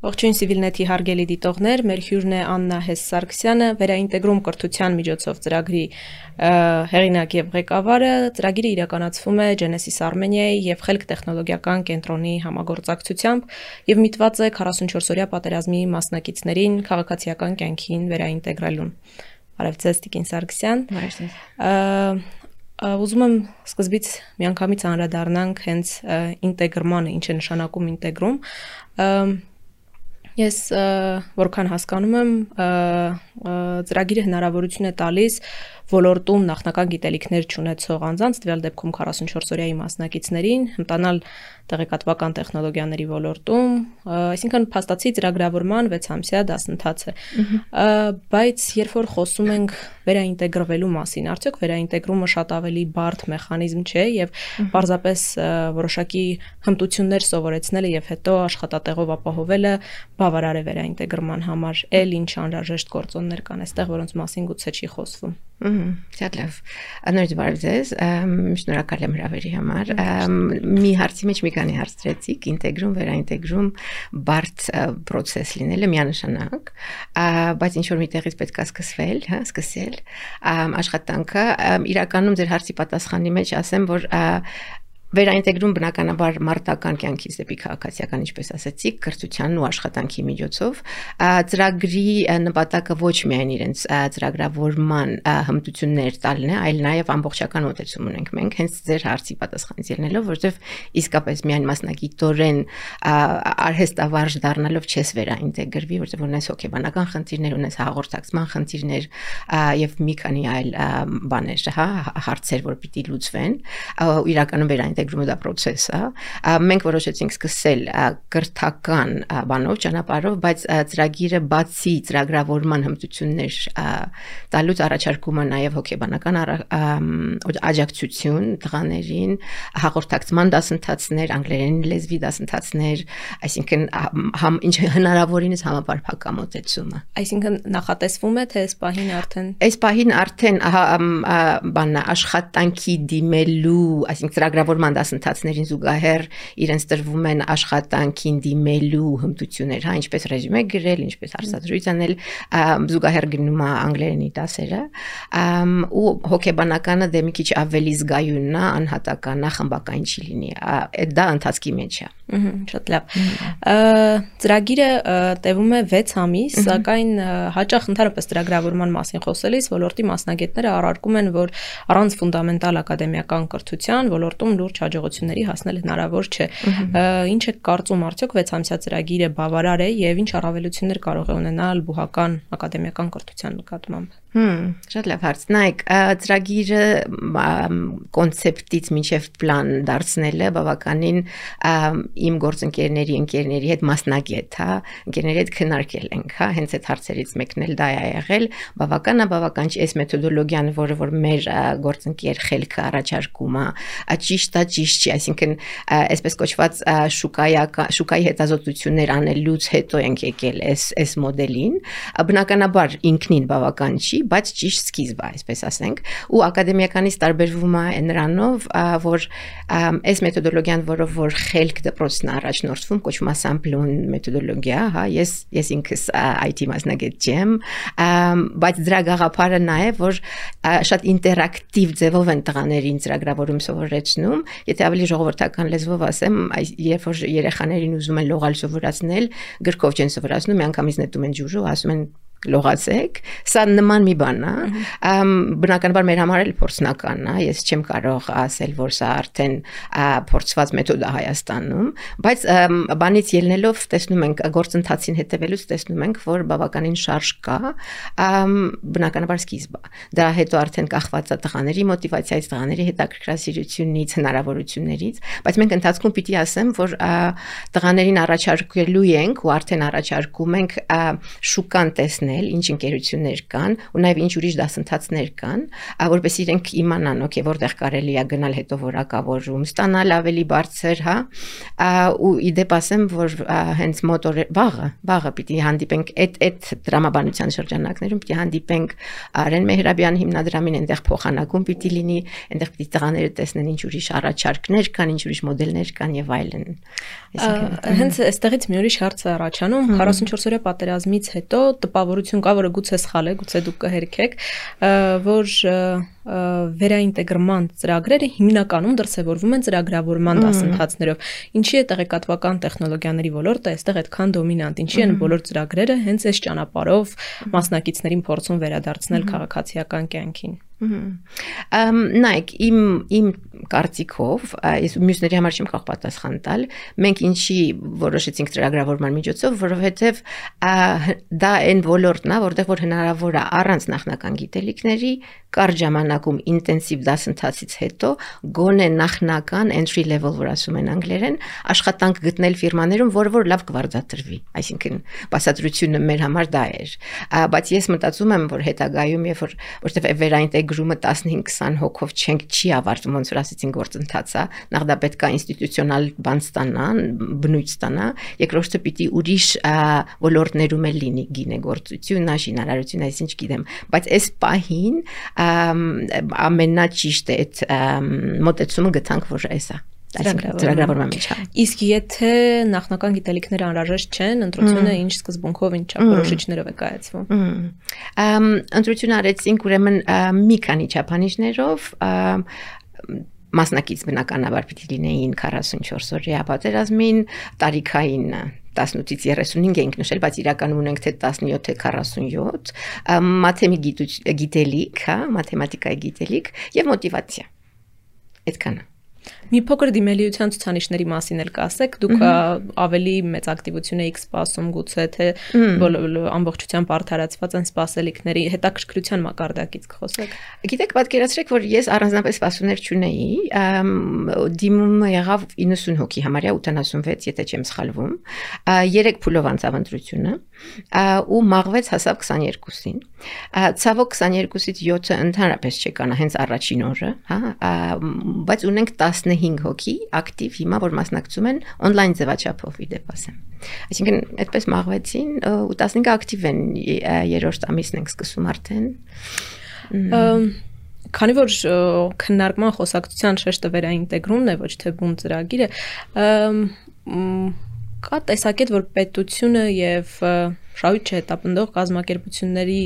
Ողջույն Civilnet-ի հարգելի դիտողներ, մեր հյուրն է Աննա Հես-Սարգսյանը, վերաինտեգրում կրթության միջոցով ծրագրի հեղինակ եւ ղեկավարը, ծրագիրը իրականացվում է Genesis Armenia-ի եւ Խելք տեխնոլոգիական կենտրոնի համագործակցությամբ եւ միտված է 44-օրյա պատերազմի մասնակիցներին քաղաքացիական կյանքին վերաինտեգրելուն։ Բարև ձեզ, Տիկին Սարգսյան։ Ուզում եմ սկզբից միանգամից անդրադառնանք հենց ինտեգրմանը, ինչ է նշանակում ինտեգրում։ Ես որքան հասկանում եմ, ծրագիրը հնարավորություն է տալիս ոլորտում նախնական գիտելիքներ չունեցող անձանց, տվյալ դեպքում 44-օրյայի մասնակիցներին, հմտանալ տեղեկատվական տեխնոլոգիաների ոլորտում, այսինքն փաստացի ծրագրավորման 6-ամսյա դասընթաց է։ Բայց երբ որ խոսում ենք վերաինտեգրվելու մասին, արդյոք վերաինտեգրումը շատ ավելի բարդ մեխանիզմ չէ եւ պարզապես որոշակի հմտություններ սովորեցնելը եւ հետո աշխատատեղով ապահովելը բավարար է վերաինտեգրման համար, ինչ անհրաժեշտ գործոններ կան այստեղ, որոնց մասին գուցե չի խոսվում։ Շատ լավ։ Անորդ բարև ձեզ, շնորհակալ եմ հրավերի համար։ Մի հարցի մեջ մի քանի հարց դրեցիք, ինտեգրում, վերաինտեգրում բարդ process լինելը միանշանակ, բայց ինչ որ միտեղից պետք է սկսել աշխատանքը, իրականում ձեր հարցի պատասխանի մեջ ասեմ, որ վերաինտեգրում բնականաբար մարտական կյանքից դեպի քաղաքացիական, ինչպես ասացիք, կրթության ու աշխատանքի միջոցով, ծրագրի նպատակը ոչ միայն իրենց ծրագրավորման հմտություններ տալն է, այլ նաև ամբողջական մոտեցում ունենք մենք, հենց ձեր հարցի պատասխանից ելնելով, որովհետև իսկապես միայն մասնագիտորեն արհեստավարժ դառնալով չես վերաինտեգրվի, որովհետև ունես հոգեբանական խնդիրներ, ունես հաղորդակցման խնդիրներ եւ մի քանի այլ բաներ, հարցեր, որ պիտի լուծվեն, իրականում ինտեգրումը դա process է։ Մենք որոշեցինք սկսել կրթական բանով, ճանապարհով, բայց ծրագիրը բացի ծրագրավորման հմտություններ տալուց առաջարկում է նաև հոգեբանական աջակցություն տղաներին, հաղորդակցման դասընթացներ, անգլերեն լեզվի դասընթացներ, այսինքն ինչ հնարավորինս համապարփակ մոտեցումը։ Այսինքն նախատեսվում է, թե այս պահին արդեն աշխատանքի դիմելու, այսինքն ծրագրավորման դասընթացներին զուգահեռ իրենց տրվում են աշխատանքին դիմելու հմտություններ, ինչպես ռեզյումե գրել, ինչպես հարցազրույց անել, զուգահեռ գնում է անգլերենի դասերը, ու հոգեբանականը դե մի քիչ ավելի զգայունն է, անհատական, խմբակային չի լինի, դա ընթացքի մեջ է։ Շատ լավ։ Ծրագիրը տևում է 6 ամիս, սակայն հաճախ ընդհանրապես ծրագրավորման մասին խոսելիս ոլորտի մասնագետները առարկում են, որ առանց ֆունդամենտալ ակադեմիական կրթության ոլորտում լուրջ հաջողությունների հասնել հնարավոր չէ։ Ինչ է կարծում, արդյոք 6-ամսյա ծրագիրը բավարար է եւ ինչ առավելություններ կարող է ունենալ բուհական ակադեմիական կրթության նկատմամբ։ Շատ լավ հարց։ Նայեք, ծրագիրը կոնցեպտից մինչև պլան դարձնելը բավականին իմ գործընկերների հետ մասնագետ, ընկերների հետ քննարկել ենք, հենց այդ հարցերից մեկն էլ դա է եղել, բավական չի այս մեթոդոլոգիան, որ մեր գործընկեր Խելքը առաջարկում է, ճիշտ է, ճիշտ չի, այսինքն այսպես կոչված շուկայի հետազոտություններ անելուց հետո ենք եկել այս մոդելին, բնականաբար ինքնին բավական չի, բայց ճիշտ սկիզբ է, այսպես ասենք, ու ակադեմիականից տարբերվում է նրանով, որ այս մեթոդոլոգիան, որ Խելք դպրոցն առաջնորդվում, կոչվում է sample մեթոդոլոգիա, ես ինքս IT մասնագետ չեմ, բայց դրա գաղափարը նա է, որ շատ ինտերակտիվ ձևով են տղաներին ծրագրավորում սովորեցնում, եթե ավելի ժողովրդական լեզվով ասեմ, երբ որ երեխաներին ուզում են լողալ սովորացնել, գրքով չեն սովորացնում, միանգամից նետում են ջուրը ու ասում են լողացեք, սա նման մի բան է, բնականաբար մեր համար էլ փորձնական է, ես չեմ կարող ասել, որ սա արդեն փորձված մեթոդ է Հայաստանում, բայց բանից ելնելով տեսնում ենք, գործընթացին հետևելուց տեսնում ենք, որ բավականին շարժ կա, բնականաբար սկիզբ է, դրա հետո արդեն կախված է տղաների մոտիվացիայից, տղաների հետաքրքրասիրությունից, հնարավորություններից, բայց մենք ընթացքում պիտի ասեմ, որ տղաներին առաջարկելու ենք ու արդեն առաջարկում ենք շուկան տեսնել գտնել, ինչ ընկերություններ կան, ու նաև ինչ ուրիշ դասընթացներ կան, որովհետեւ իրենք իմանան, օքեյ, որտեղ կարելի է գնալ հետո որակավորում, ստանալ ավելի բարձր, հա, ու իդեպ ասեմ, որ հենց մոտոր վաղը պիտի հանդիպենք այդ դրամաբանության շրջանակներում պիտի հանդիպենք Արեն Մեհրաբյան հիմնադրամին, այնտեղ փոխանակում պիտի լինի, այնտեղ պիտի տղաները տեսնեն ինչ ուրիշ առաջարկներ կան, ինչ ուրիշ մոդելներ կան եւ այլն։ Հենց այստեղից մի ուրիշ հարց է առաջանում, 44-օրյա պատերազմից հետո տպավորություն կա, որը գուցե սխալ է, գուցե դուք կհերքեք, որ վերաինտեգրման ծրագրերը հիմնականում դրսևորվում են ծրագրավորման դասընթացներով։ Ինչի է տեղեկատվական տեխնոլոգիաների ոլորտը այստեղ այդքան դոմինանտ, ինչի են բոլոր ծրագրերը հենց այս ճանապարհով մասնակիցներին փորձում վերադարձնել քաղաքացիական կյանքին։ Նայեք, իմ կարծիքով, ես մյուսների համար չեմ կարող պատասխան տալ, մենք ինչի որոշեցինք ծրագրավորման միջոցով, որովհետև դա այն ոլորտն է, որտեղ որ հնարավոր է առանց նախնական գիտելիքների կարճ ժամանակում ինտենսիվ դասընթացից հետո գոնե նախնական entry level, որ ասում են անգլերեն, աշխատանք գտնել ֆիրմաներում, որ լավ կվարձատրվի, այսինքն բացատրությունը մեր համար դա էր, բայց ես մտածում եմ, որ հետագայում որտեղ վերաինտեգրումը 15-20 հոգով չի ավարտվում, ոնց որ ասեցին գործընթացը, նախ դա պետք է ինստիտուցիոնալ բան ստանա, բնույթ ստանա, երկրորդը պիտի ուրիշ ոլորտներում էլ լինի գինեգործություն, շինարարություն, այսինչ գիտեմ, բայց այս պահին ամենաճիշտ է այդ մոտեցումը գտանք, որ էսա ծրագրավորման մեջ։ Իսկ եթե նախնական գիտելիքները անհրաժեշտ չեն, ընտրությունը ինչ սկզբունքով, ինչ չափորոշիչներով է կայացվում։ Ընտրություն արեցինք ուրեմն մի քանի չափանիշներով, մասնակից բնականաբար պիտի լինեին 44 օրյա պատերազմին, տարիքային 18-ից 35 ենք նշել, բայց իրականում ունենք թե 17, թե 47, մաթեմատիկայի գիտելիք, հա, մաթեմատիկայի գիտելիք եւ մոտիվացիա։ Այդքանը։ Մի փոքր դիմելիության ցուցանիշների մասին էլ կասեք, դուք ավելի մեծ ակտիվություն եք սպասում գուցե թե ամբողջությամբ արդարացված են սպասելիքների հետաքրքրության մակարդակից կխոսեք։ Գիտեք, պատկերացրեք, որ ես առանձնապես սպասումներ չունեի, դիմումը եղավ 90 հոգի, համարյա 86, եթե չեմ սխալվում, 3 փուլով անցավ ընտրությունը ու մաղվեց հասավ 22-ին։ Ցավոք 22-ից 7-ը ընդհանրապես չեկանա հենց առաջին օրը, հա, բայց ունենք 15 հոգի ակտիվ հիմա, որ մասնակցում են on-line ձևաչափով իդեպ ասեմ։ Այսինքն այդպես մաղվեցին ու 15-ը ակտիվ են, երրորդ ամիսն ենք սկսում արդեն։ Քանի որ քննարկման խոսակցության շեշտը վերաինտեգրումն է, ոչ թե բուն ծրագիրը, կա տեսակետ, որ պետությունը եւ շահույթ չհետապնդող կազմակերպությունների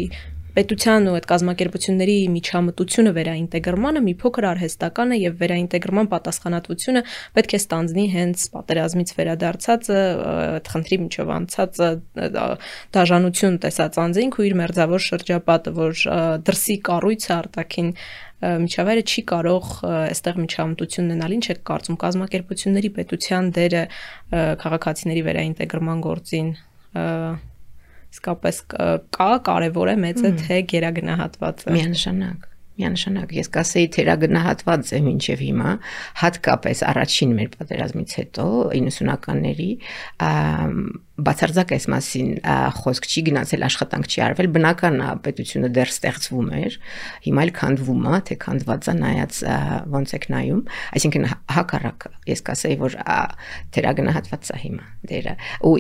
պետության ու այդ կազմակերպությունների միջամտությունը վերաինտեգրմանը մի փոքր արհեստական է եւ վերաինտեգրման պատասխանատվությունը պետք է ստանձնի հենց պատերազմից վերադարձած այդ խնդրի միջով անցած դաժանություն տեսած անձինք ու իր մերձավոր շրջապատը, որ դրսի կառույցը արտաքին միջավայրը չի կարող այստեղ միջամտություն ունենալ, ինչ է կարծում կազմակերպությունների պետության դերը քաղաքացիների վերաինտեգրման գործին իսկապես կա, կարևոր է, մեծ է, թե գերագնահատված է։ Միանշանակ, ես կասեի թերագնահատված է մինչև հիմա, հատկապես առաջին մեր պատերազմից հետո 90-ականների բացարձակ այս մասին խոսք չի գնացել, աշխատանք չի արվել, բնական է պետությունը դեռ ստեղծվում էր, հիմա էլ քանդվում է, թե քանդված է նայած ոնց եք նայում, այսինքն հակառակը, ես կասեի, որ թերագնահատված է հիմա դերը, ու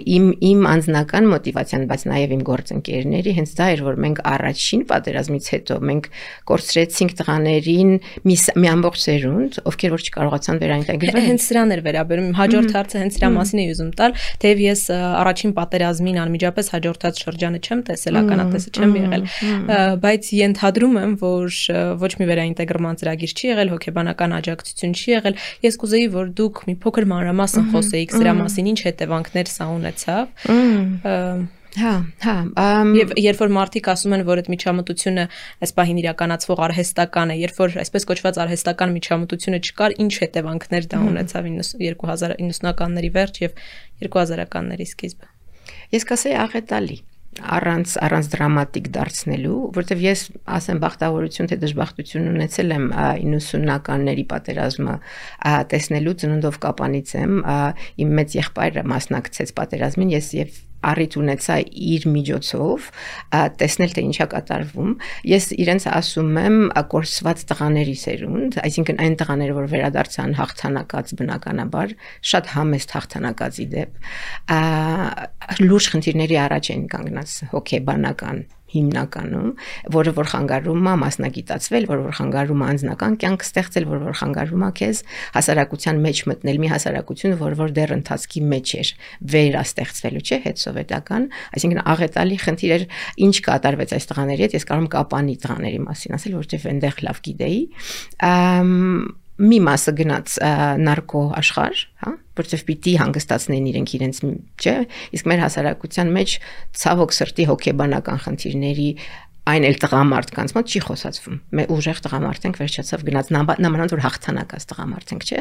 իմ անձնական մոտիվացիան, բայց նաև իմ գործընկերների հենց դա էր, որ մենք առաջին պատերազմից հետո մենք կորցրեցինք տղաներին մի ամբողջ սերունդ, ովքեր որ չկարողացան վերաինտեգրվել։ Հենց սրան էր վերաբերում, հաջորդ հարցը հենց սրա մասին էի ուզում տալ, թեև ես առաջին պատերազմին անմիջապես հաջորդած շրջանը չեմ տեսել, ականատեսը չեմ եղել, բայց ենթադրում եմ, որ ոչ մի վերաինտեգրման ծրագիր չի եղել, հոգեբանական աջակցություն չի եղել։ Ես կուզեի, որ դուք մի փոքր մանրամասն խոսեիք սրա մասին, ինչ հետևանքներ սա ունեցավ։ Հա, եւ երբ որ մարդիկ ասում են, որ այդ միջամտությունը այս պահին իրականացվող արհեստական է, երբ որ այսպես կոչված արհեստական միջամտությունը չկար, ինչ հետևանքներ դա ունեցավ 2090-ականների վերջ եւ 2000-ականների սկիզբը։ Ես կասեի աղետալի, առանց դրամատիկ դարձնելու, որտեվ ես ասեմ բախտավորություն թե դժբախտություն ունեցել եմ 90-ականների պատերազմը տեսնելու ծննդով կապանից եմ, իմ մեծ եղբայրը մասնակցեց պատերազմին, ես եւ առիթ ունեցա իր միջոցով տեսնել թե ինչա կատարվում ես իրենց ասում եմ կորսված տղաների սերունդ այսինքն այն տղաները որ վերադարձան հաղթանակած բնականաբար շատ համեստ հաղթանակածի դեպ լուրջ խնդիրների առաջ են կանգնած հոգեբանական հիմնականում, որը որ խանգարում է մասնագիտացվել, որը որ խանգարում է անձնական կյանք ստեղծել, որը որ խանգարում է քեզ հասարակության մեջ մտնել, մի հասարակություն, որ դեռ ընթացքի մեջ էր, վերաստեղծվելու չէ, հետսովետական, այսինքն աղետալի խնդիր էր, ինչ կատարվեց այս տղաների հետ, ես կարող եմ Կապանի տղաների մասին ասել, որովհետև այնտեղ լավ գիտեի, մի մասը գնաց նարկո աշխարհ, հա, որովհետև պիտի հանգստացնեն իրենց, չէ, իսկ մեր հասարակության մեջ ցավոք սրտի հոգեբանական խնդիրների այն էլ տղամարդկանց մոտ չի խոսացվում։ Մեր ուժեղ տղամարդ ենք վերջացավ գնաց նամանավանդ որ հաղթանակած տղամարդ ենք, չէ՞,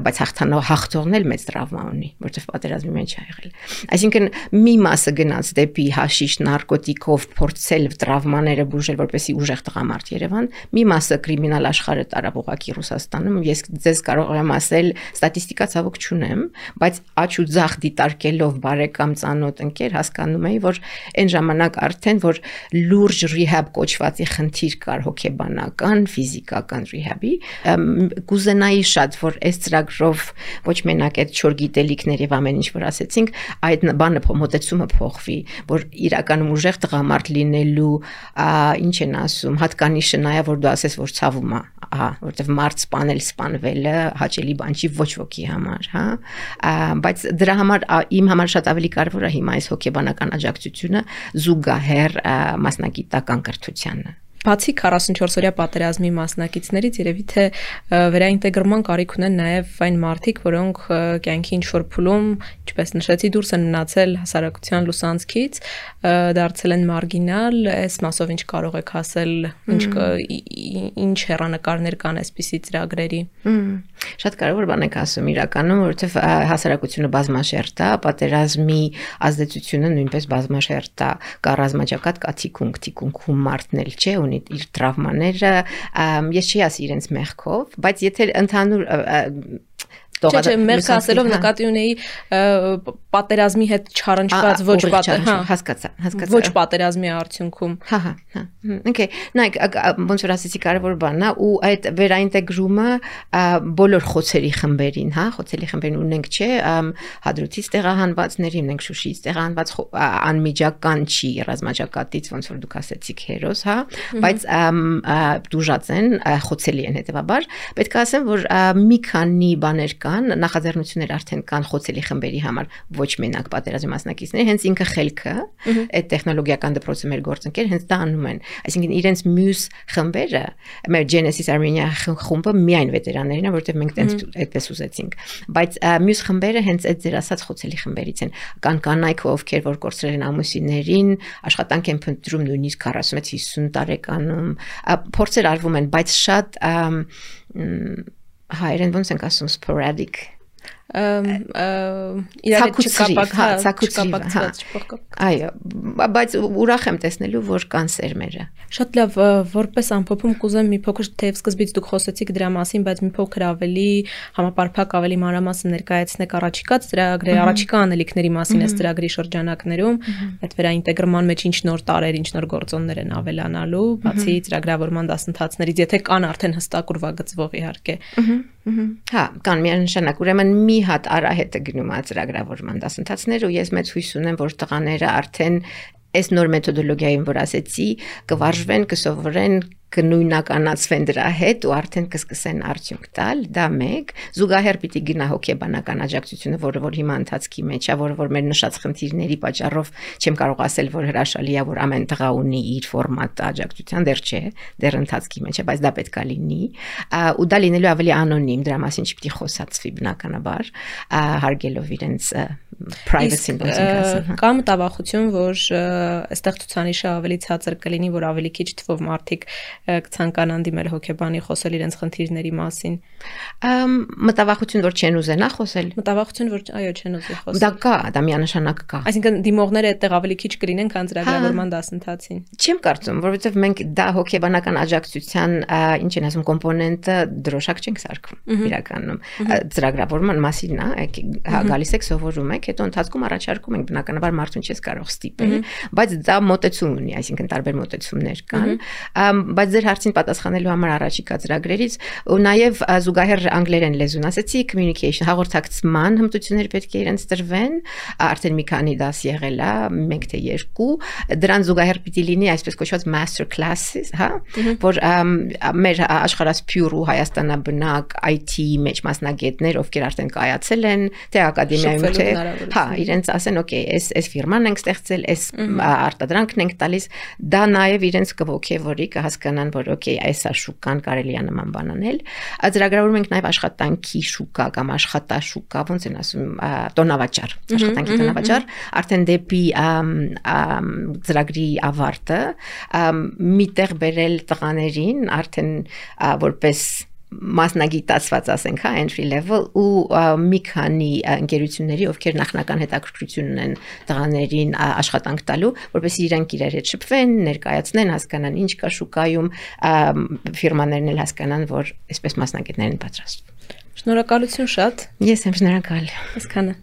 բայց հաղթողն էլ մեծ տրավմա ունի, որովհետև պատերազմի մեջ է եղել։ Այսինքն մի մասը գնաց դեպի հաշիշ, նարկոտիկով փորձել տրավմաները բուժել, որպեսզի ուժեղ տղամարդ Երևան, մի մասը կրիմինալ աշխարհը տարավ ուղղակի Ռուսաստանում, ես ձեզ կարող եմ ասել, ստատիստիկա ցավոք չունեմ, բայց աչ ու ձախ դիտարկելով բարեկամ ծանոթ ընկեր հասկանում էի, որ այն ժամանակ արդեն որ լուրջ rehab կոչվածի խնդիր կար հոգեբանական, ֆիզիկական rehab-ի, կուզենայի շատ, որ այս ծրագրով ոչ մենակ այդ 4 գիտելիքներ եւ ամեն ինչ որ ասեցինք, այդ բանը մոտեցումը փոխվի, որ իրականում ուժեղ տղամարդ լինելու, ինչ են ասում, հատկանիշը նայա, որ դու ասես, որ ցավում է, որտեվ մարդ սպանվելը հաճելի բան չի ոչ ոքի համար, հա, բայց դրա համար իմ համար շատ ավելի կարևոր է հիմա այս հոգեբանական աջակցությունը զուգահեռ մասնագիտական կրթությանը։ Բացի 44-օրյա պատերազմի մասնակիցներից երևի թե վերաինտեգրման կարիք ունեն նաև այն մարդիկ, որոնք կյանքի ինչ-որ փուլում, ինչպես նշեցի, դուրս են մնացել հասարակության լուսանցքից, դարձել են մարգինալ, այս մասով ինչ կարող եք ասել, ինչ հեռանկարներ կան այսպիսի ծրագրերի։ Շատ կարևոր բան եք ասում իրականում, որովհետև հասարակությունը բազմաշերտ է, պատերազմի ազդեցությունը նույնպես բազմաշերտ է, կա ռազմաճակատ, կա թիկունքում մարդն էլ չէ, ունի իր տրավմաները, ես չի ասի իրենց մեղքով, բայց եթե ընդհանուր Չէ, մեղք ասելով նկատի ունեի պատերազմի հետ չառնչված ոչ պատերազմի արդյունքում։ Հա։ Okay, նայեք, ոնց որ ասեցի կարևոր բանն է ու այդ վերաինտեգրումը բոլոր խոցերի խմբերին, հա, խոցերի խմբերին ունենք, չէ, Հադրութից տեղահանվածների, ունենք Շուշիից տեղահանված անմիջական չի ռազմաճակատից, ոնց որ դուք ասեցիք հերոս, հա, բայց դուժած են, խոցելի են հետեւաբար, պետք է ասեմ, որ մի քանի բաներ նախաձեռնություններ արդեն կան խոցելի խմբերի համար ոչ մենակ պատերազմի մասնակիցների, հենց ինքը խելքը, այդ տեխնոլոգիական դպրոցը մեր գործընկեր հենց դա անում են, այսինքն իրենց մյուս խմբերը, մեր Genesis Armenia խումբը միայն վետերաններն են, որովհետև մենք այդպես ուզեցինք, բայց մյուս խմբերը հենց այդ ձեր ասած խոցելի խմբերից են, կան կանայք, ովքեր որ կորցրել են ամուսիններին, աշխատանք են փնտրում նույնիսկ 46-50 տարեկանում, փորձեր արվում են, բայց շատ հայերեն ոնց ենք ասում sporadic իրար չկապակցված այո, բայց ուրախ եմ տեսնելու, որ կան սերմերը։ Շատ լավ, որպես ամփոփում կուզեմ մի փոքր թեև սկզբից դուք խոսեցիք դրա մասին, բայց մի փոքր ավելի համապարփակ, ավելի մանրամասն ներկայացնեք առաջիկա ծրագրերի, առաջիկա անելիքների մասին այս ծրագրի շրջանակներում, այդ վերաինտեգրման մեջ ինչ նոր տարեր, ինչ նոր գործոններ են ավելանալու, բացի ծրագրավորման դասընթացներից, եթե կան արդեն հստակ ուրվագծվող իհարկե։ Հա, կան միանշանակ, ուրեմն մի հատ արահետ է գնում ծրագրավորման դասընթացներ ու ես մեծ հույս ունեմ, որ տղաները արդեն այս նոր մեթոդոլոգիային, որ ասեցի, կվարժվեն, կսովորեն, կնույնականացվեն դրա հետ ու արդեն կսկսեն արդյունք տալ, դա մեկ, զուգահեռ պիտի գնա հոգեբանական աջակցությունը, որը որ հիմա ընթացքի մեջ է, որը որ մեր նշած խնդիրների պատճառով չեմ կարող ասել, որ հրաշալի է, որ ամեն տղա ունի իր ֆորմատը աջակցության, դեռ չէ, դեռ ընթացքի մեջ է, բայց դա պետք է լինի, ու դա լինելու ավելի անոնիմ, դրա մասին չպիտի խոսացվի բնականաբար, հարգելով իրենց privacy-ն, ոնց ենք ասում։ Կա մտավախություն, որ այստեղ ցուցանիշը ավելի ցածր կլինի, որ ավելի քիչ թվով մարդիկ կցանկանան դիմել հոգեբանի խոսել իրենց խնդիրների մասին։ Մտավախություն, որ չեն ուզենա խոսել։ Մտավախություն, որ այո, չեն ուզի խոսել։ Դա կա, դա միանշանակ կա։ Այսինքն դիմողները այդտեղ ավելի քիչ կլինեն, քան ծրագրավորման դասընթացին։ Չեմ կարծում, որովհետև մենք դա հոգեբանական աջակցության, ինչ են ասում, կոմպոնենտը դրոշակ չենք սարքում իրականում։ Ծրագրավորման մասին է, գալիս եք սովորում եք, հետո ընթացքում առաջարկում ենք բնականաբար մարդուն չես կարող ստիպել, բայց դա մոտեցում ունի, այսինքն տարբեր մոտեցումներ կան, բայց ձեր հարցին պատասխանելու համար առաջիկա ծրագրերից ու նաև զուգահեռ անգլերեն լեզուն ասեցի, communication հաղորդակցման հմտություններ պետք է իրենց տրվեն, արդեն մի քանի դաս եղել է, մեկ թե երկու, դրան զուգահեռ պիտի լինի այսպես կոչված master classes, հա, որ մեր աշխարհասփյուռ ու Հայաստանաբնակ IT մեջ մասնագետներ, ովքեր արդեն կայացել են, թե ակադեմիայում թե, հա, իրենց ասեն, օքեյ, այս ֆիրման ենք ստեղծել, այս արտադրանքն ենք տալիս, դա նաև իրենց կողքեվորի կհասկանան, որ օքեյ, այսա շուկան կարելի է նման բան անել։ Ծրագրավորում ենք նաև աշխատանքի շուկա կամ աշխատաշուկա, ոնց են ասում, տոնավաճառ, աշխատանքի տոնավաճառ, արդեն դեպի ծրագրի ավարտը միտեղ բերել տղաներին, արդեն որպես մասնագիտացված ասենք, հա, entry level ու մի քանի ընկերությունների, ովքեր նախնական հետաքրքրություն ունեն տղաներին աշխատանք տալու, որպեսզի իրենք իրար հետ շփվեն, ներկայացնեն, հասկանան ինչ կա շուկայում, ֆիրմաներն էլ հասկանան, որ այսպես մասնագետներ են պատրաստվում։ Շնորհակալություն շատ։ Ես եմ շնորհակալ։ Այսքանը։